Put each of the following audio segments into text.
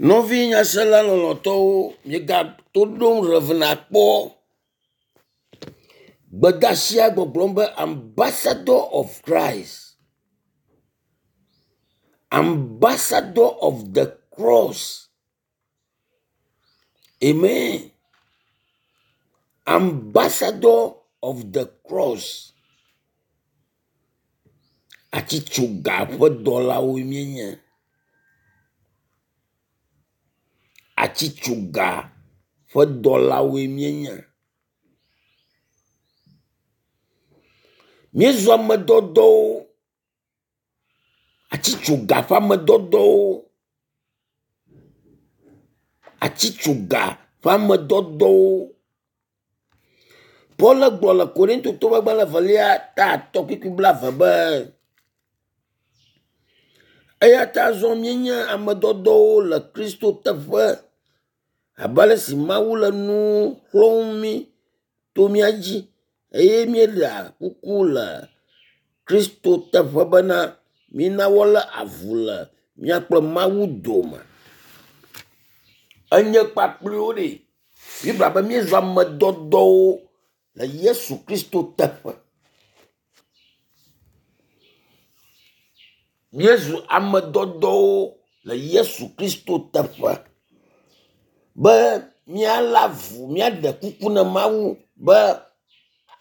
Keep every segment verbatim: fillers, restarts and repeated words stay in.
Nɔvi nyasela lɔlɔ̃tɔwo, miegato ɖom Rev. Akpɔ. Gbedeasia gbɔgblɔm be ambassador of Christ, ambassador of the cross. Amen. Ambassador of the cross. Atitsoga ƒe dɔlawoe míenye. Atitsoga ƒe dɔlawoe míenye. Míezu ame dɔdɔwo. Atitsoga ƒe ame dɔdɔwo. Atitsoga ƒe ame dɔdɔwo. Paul gblɔ le Korintotɔwo ƒe agbalẽ evelia ta atɔ̃ kpukpui blaeve be, eya ta azɔ míenye ame dɔdɔwo le Kristo teƒe abe ale si Mawu le nu xlɔ̃m mí to mía dzi eye míeɖea kuku le Kristo teƒe bena mína wolé avu le mía kple Mawu dome. Enye kpakpliwo ɖe. Biblia be míezu ame dɔdɔwo le Yesu Kristo teƒe. Míezu ame dɔdɔwo le Yesu Kristo teƒe be míalé avu, míaɖe kuku na Mawu be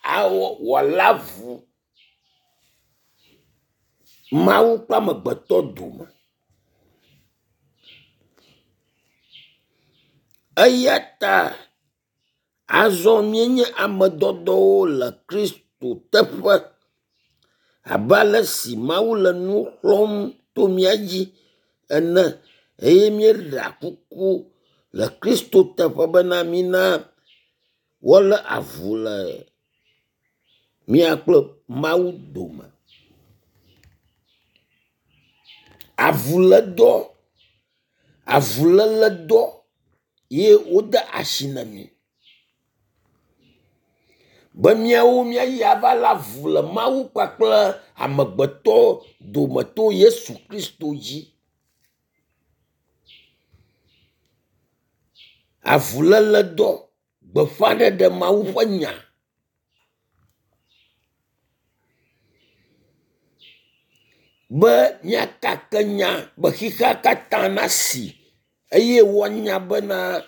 awɔ wòalé avu Mawu kple amegbetɔ dome. Eya ta azɔ míenye ame dɔdɔwo le Kristo teƒe abe ale si Mawu le nu xlɔ̃m to mía dzi ene eye míeɖea kuku le Kristo teƒe bena mína wolé avu le mía kple Mawu dome. Avulédɔ, avuléledɔ ye wode asi na mí be míawo míayi ava lé avu le Mawu kpakple amegbetɔ dome to Yesu Kristo dzi. Avuléledɔ, gbeƒãɖeɖe Mawu ƒe nya. Be míakake nya be xexea katã nasi eye woanya bena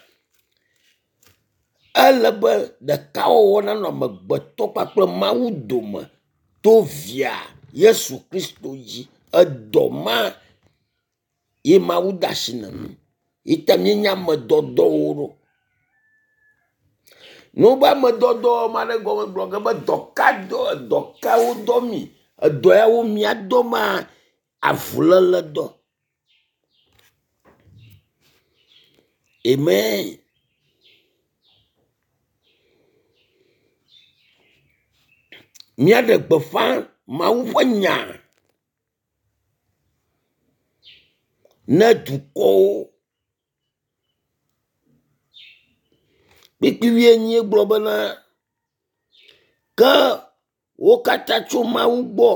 ele be ɖekawɔwɔ nanɔ amegbetɔ kpakple Mawu dome to via Yesu Kristo dzi. Edɔ ma ye Mawu de asi na mí. Yi ta míenye ame dɔdɔwo ɖo. Ne wobe ame dɔdɔ ame aɖe gɔme gblɔ ge be dɔ ka dɔ dɔ ka wodɔ mi? Edɔ yawo míadɔ ma avuléledɔ. Amen. Míaɖe gbeƒã Mawu ƒe nya ne dukɔwo. Kpukpui wuienyi gblɔ bena ke wo katã tso Mawu gbɔ,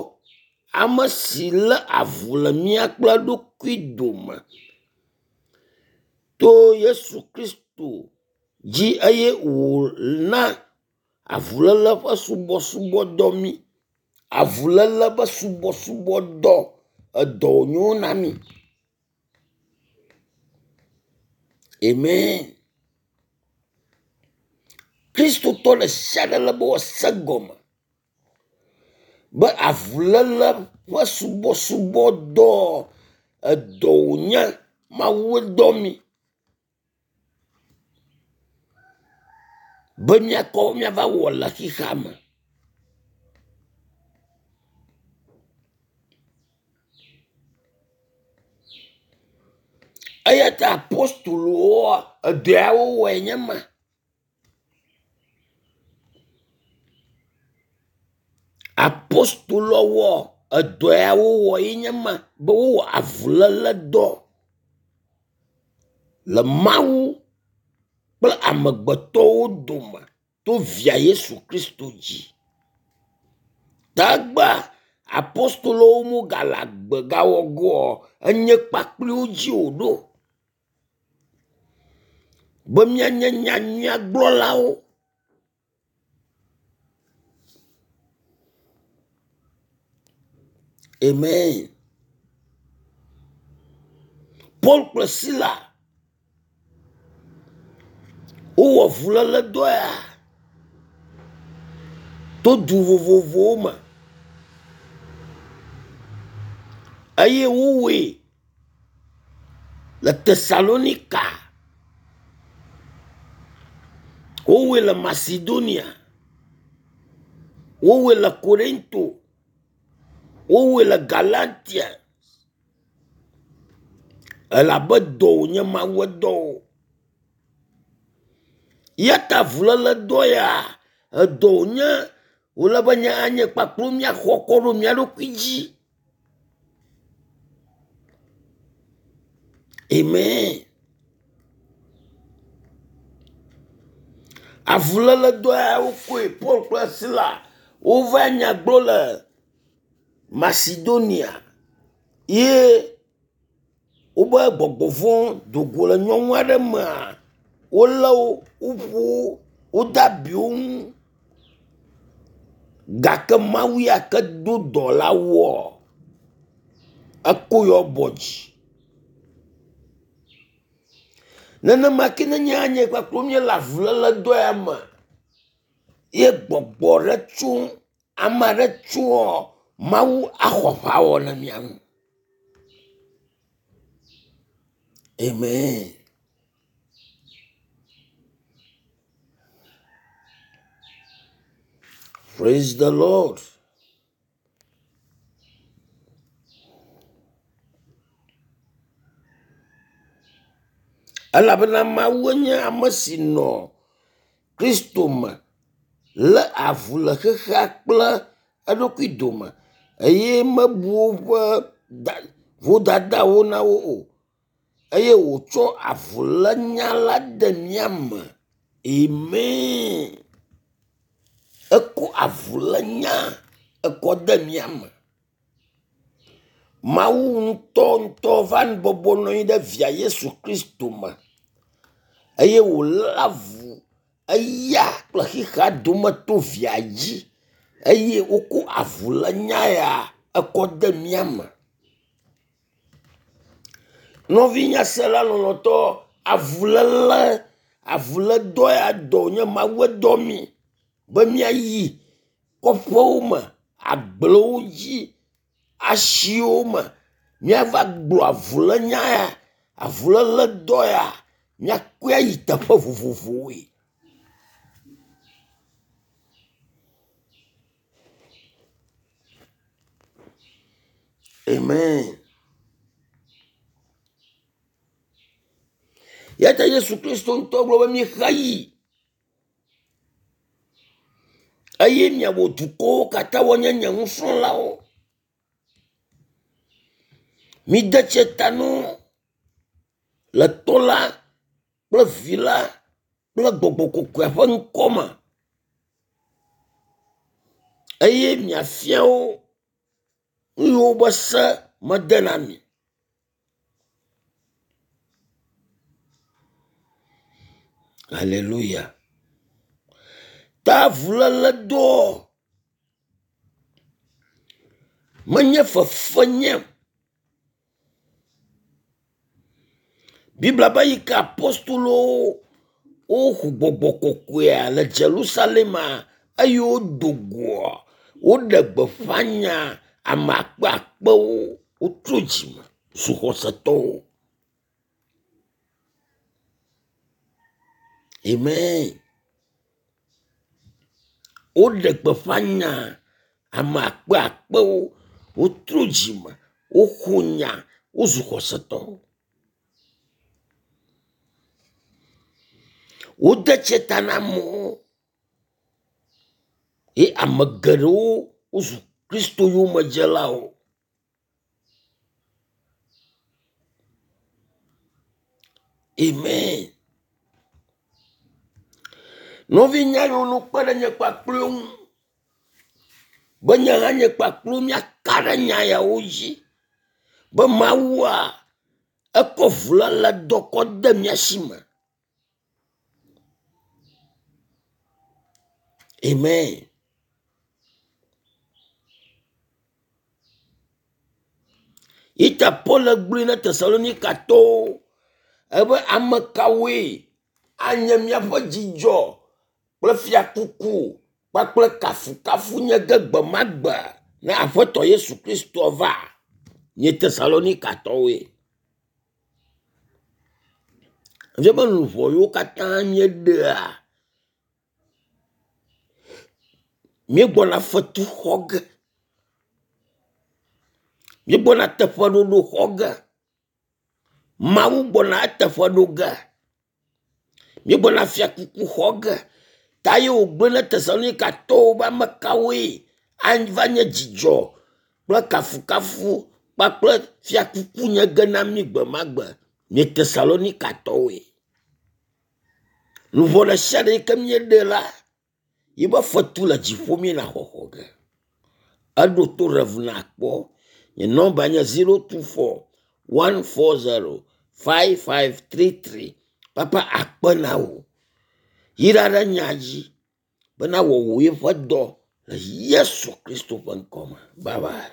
ame si lé avu le mía kple eɖokui dome to Yesu Kristo dzi eye wòna avuléle ƒe subɔsubɔdɔ mí. Avuléle ƒe subɔsubɔdɔ edɔ wònyo na mí. Amen. Kristotɔ ɖe sia ɖe le be wòase egɔme be avuléle ƒe subɔsubɔdɔ edɔ wònye Mawue dɔ mí be míakɔ míava wɔ le xexea me. Eya ta apostolowoa edɔ ya wowɔe nye ma. Apostolowo edɔ ya wowɔ ye nye ma be wowɔ avuléledɔ le Mawu kple amegbetɔwo dome to via Yesu Kristo dzi. Tagba apostolowo megale agbe gawɔ goa, enye kpakpliwo dzi wòɖo. Be míanye nyanyuiagblɔlawo. Amen. Paul kple Sila wowɔ avuléledɔ ya to du vovovowo me eye wowɔe le Tesalonika, wowɔe le Macedonia, wowɔe le Korinto, wowɔe le Galatia elabe dɔ wònye Mawue dɔ wo. Ya ta avuléledɔ ya edɔ wònye wòle be nye hã nye kpakple míaxɔ kɔ ɖo mía ɖokui dzi. Amen. Avuléledɔ ya wokɔe Paul kple Sila wova nya gblɔ le Macedonia ye wobe gbɔgbɔ vɔ̃ do go le nyɔnu aɖe mea, wolé wo, woƒo wo, wode abi wo ŋu gake Mawu ya ke do dɔ la woa, eko yewo bɔ dzi. Nenema ke ne nye hã nye kpakple míele avuléledɔ ya me ye gbɔgbɔ ɖe tso ame aɖe tsoa, Mawu axɔ aʋawɔ le mía ŋu. Amen. Praise the Lord. Elabena Mawue nye ame si nɔ Kristo me lé avu le xexea kple eɖokui dome eye mebu woƒe vodadawo na wo o eye wòtsɔ avulénya la de mía me. Amen. Ekɔ avulénya ekɔ de mía me. Mawu ŋutɔŋutɔ va bɔbɔ nɔ anyi ɖe via Yesu Kristo me eye wòlé avu eya kple xexea dome to via dzi eye wokɔ avulénya ya ekɔ de mía me. Nɔvi nyasela lɔlɔ̃tɔ, avuléle, avulédɔ ya dɔ wònye Mawue dɔ mí be míayi kɔƒewo me, agblewo dzi, asiwo me, míava gblɔ avulénya ya, avuléledɔ ya, míakɔe ayi teƒe vovovowoe. Amen. Ya ta Yesu Kristo ŋutɔ gblɔ be mixa yi eye miawɔ dukɔwo katã woanye nye nusrɔ̃lawo. Mide tsi ta na wo le Tɔ la kple Vi la kple Gbɔgbɔ Kɔkɔea ƒe ŋkɔ me eye miafia wo nu yiwo be se mede na mi. Alléluia. Ta avuléledɔ menye fefe nye. Biblia be yi ke apostolowo woxɔ gbɔgbɔ kɔkɔea le Jerusalema eye wodo goa, woɖe gbeƒã nya ame akpe akpewo wotrɔ dzime zu xɔsetɔwo. Amen. Woɖe gbeƒã nya ame akpe akpewo wotrɔ dzime, woxɔ nya, wozu xɔsetɔwo. Wode tsi ta na amewo ye ame geɖewo wozu Kristo yomedzelawo. Amen. Nɔvi nya yiwo kpe ɖe nye kpakple ŋu be nye hã nye kpakple míaka ɖe nya yawo dzi be Mawua ekɔ avuléledɔ kɔ de mía si me. Amen. Ita Paul gblɔe na Tesalonikatɔwo ebe ame kawoe anye míaƒe dzidzɔ kple fiakuku kpakple kafukafu nye ge gbe ma gbe ne Aƒetɔ Yesu Kristo va. Nye Tesalonikatɔwoe. Efia be luʋɔ yiwo katã míeɖea míegbɔna fetu xɔ ge. Míegbɔna teƒeɖoɖo xɔ ge. Mawu gbɔna eteƒe ɖo ge. Míegbɔna fiakuku xɔ ge. Ta ye wògblɔe na Tesalonikatɔwo be ame kawoe ava nye dzidzɔ kple kafukafu kpakple fiakuku nye ge na mí gbe ma gbe. Nye Tesalonikatɔwoe. Luʋɔ ɖe sia ɖe yi ke míeɖe la, yibe fetu le dziƒo míena xɔxɔ ge. Eɖo to Rev nakpɔ. Nye nɔmba nye zero two four one four zero five five three three. Papa akpe na wò. Yra ɖe nya dzi bena wɔwò yeƒe dɔ le Yesu Kristo ƒe ŋkɔ me. Bye bye.